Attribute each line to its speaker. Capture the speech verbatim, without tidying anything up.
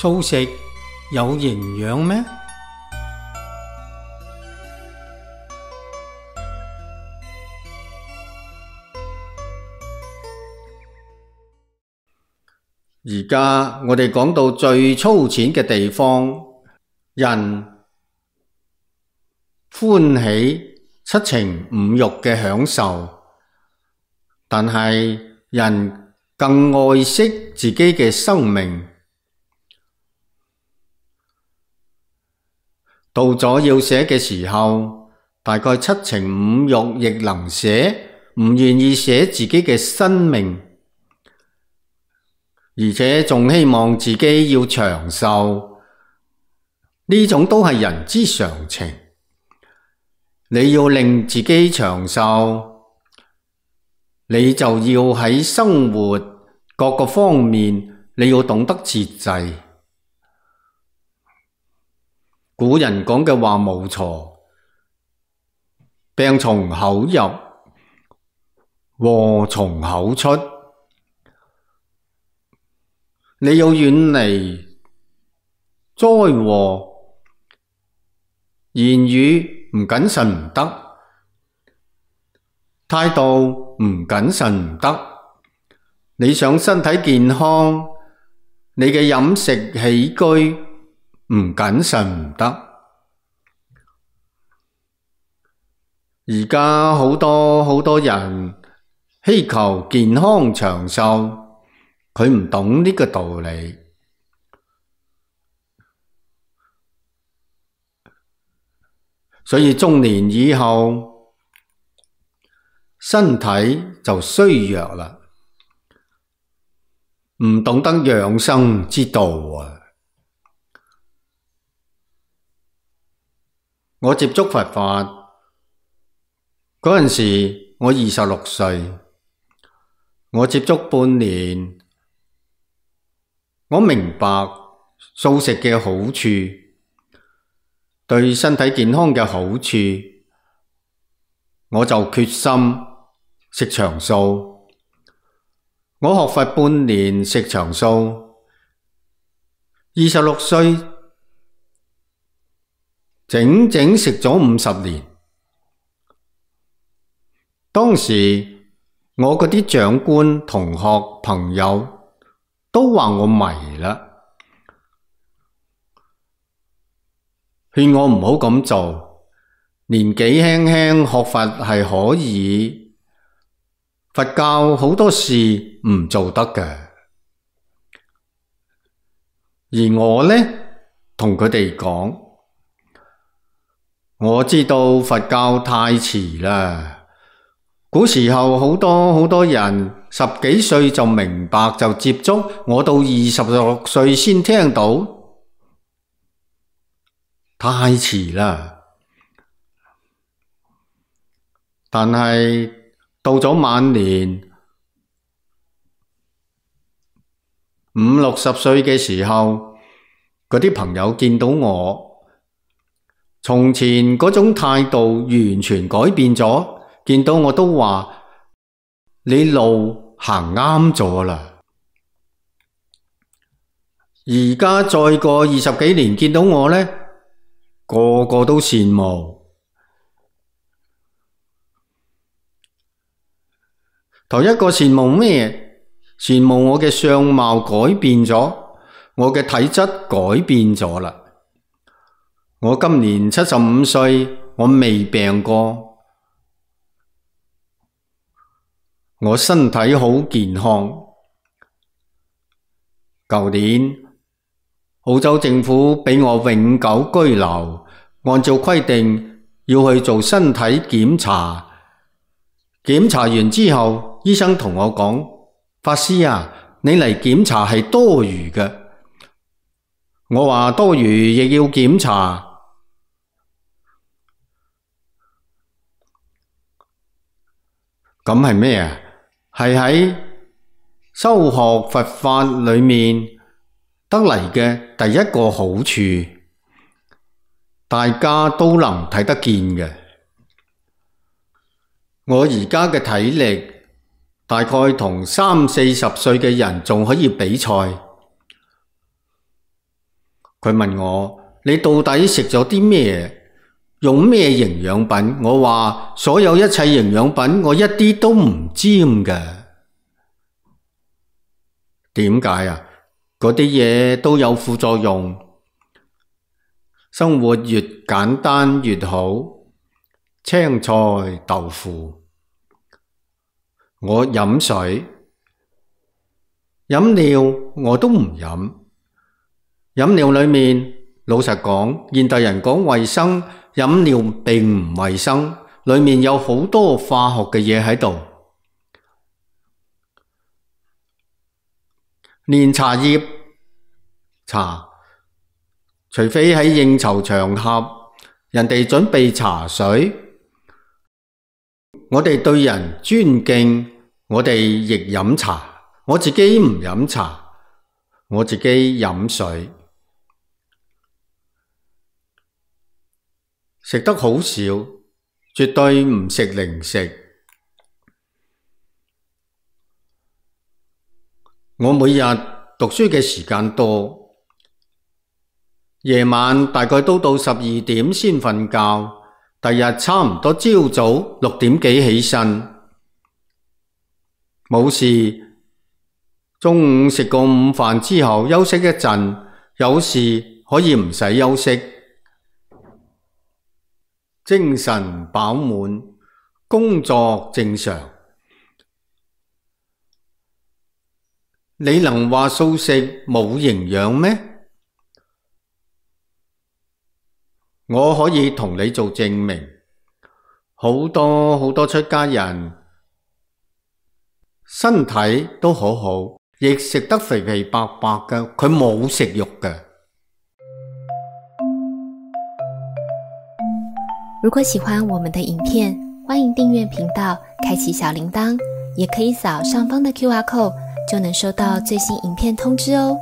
Speaker 1: 素食有營養咩？
Speaker 2: 而家我哋講到最粗淺嘅地方，人歡喜七情五欲嘅享受，但係人更愛惜自己嘅生命。到咗要寫嘅時候，大概七情五欲亦能寫，唔願意寫自己嘅生命。而且仲希望自己要長壽，呢種都係人之常情。你要令自己長壽，你就要喺生活各個方面，你要懂得節制。古人講嘅話冇錯，病從口入，禍從口出。你要遠離災禍，言語唔謹慎唔得，態度唔謹慎唔得。你想身體健康，你嘅飲食起居唔謹慎唔得。而家好多好多人希求健康長壽，佢唔懂呢個道理，所以中年以後身體就衰弱啦，唔懂得養生之道啊！我接觸佛法嗰陣時，我二十六歲，我接觸半年。我明白素食嘅好處，對身體健康嘅好處，我就決心食長素。我學佛半年食長素，二十六歲整整食咗五十年。當時我嗰啲長官、同學、朋友都話我迷啦，勸我唔好咁做。年紀輕輕學佛係可以，佛教好多事唔做得嘅。而我呢，同佢哋講，我知道佛教太遲啦。古時候好多好多人十幾歲就明白就接觸，我到二十六歲先聽到，太遲啦。但係到咗晚年五六十歲嘅時候，嗰啲朋友見到我，從前嗰種態度完全改變咗。見到我都話你路行啱咗啦。而家再過二十幾年見到我呢，個個都羨慕。頭一個羨慕咩？羨慕我嘅相貌改變咗，我嘅體質改變咗啦。我今年七十五歲，我未病過。我身體好健康。舊年澳洲政府俾我永久居留，按照規定要去做身體檢查。檢查完之後，醫生同我講：法師啊，你嚟檢查係多餘嘅。我話多餘亦要檢查。咁係咩啊？係喺修學佛法裏面得嚟嘅第一個好處，大家都能睇得見嘅。我而家嘅體力大概同三四十歲嘅人仲可以比賽。佢問我：你到底食咗啲咩？用咩營養品？我話所有一切營養品我一啲都唔沾嘅。點解啊？嗰啲嘢都有副作用。生活越簡單越好，青菜豆腐。我飲水，飲料我都唔飲。飲料裏面，老實講，現代人講衛生，飲料並唔衛生，裏面有好多化學嘅嘢喺度。連茶葉茶，除非喺應酬場合，人哋準備茶水，我哋對人尊敬，我哋亦飲茶。我自己唔飲茶，我自己飲水。食得好少，絕對唔食零食。我每日讀書嘅時間多，夜晚大概都到十二點先瞓覺，第日差唔多朝早六點幾起身。冇事，中午食過午飯之後休息一陣，有時可以唔使休息。精神飽滿，工作正常。你能話素食冇營養咩？我可以同你做證明，好多好多出家人身體都好好，亦食得肥肥白白嘅，佢冇食肉嘅。
Speaker 3: 如果喜歡我們的影片，歡迎訂閱頻道，開啟小鈴鐺，也可以掃上方的 Q R code，就能收到最新影片通知哦。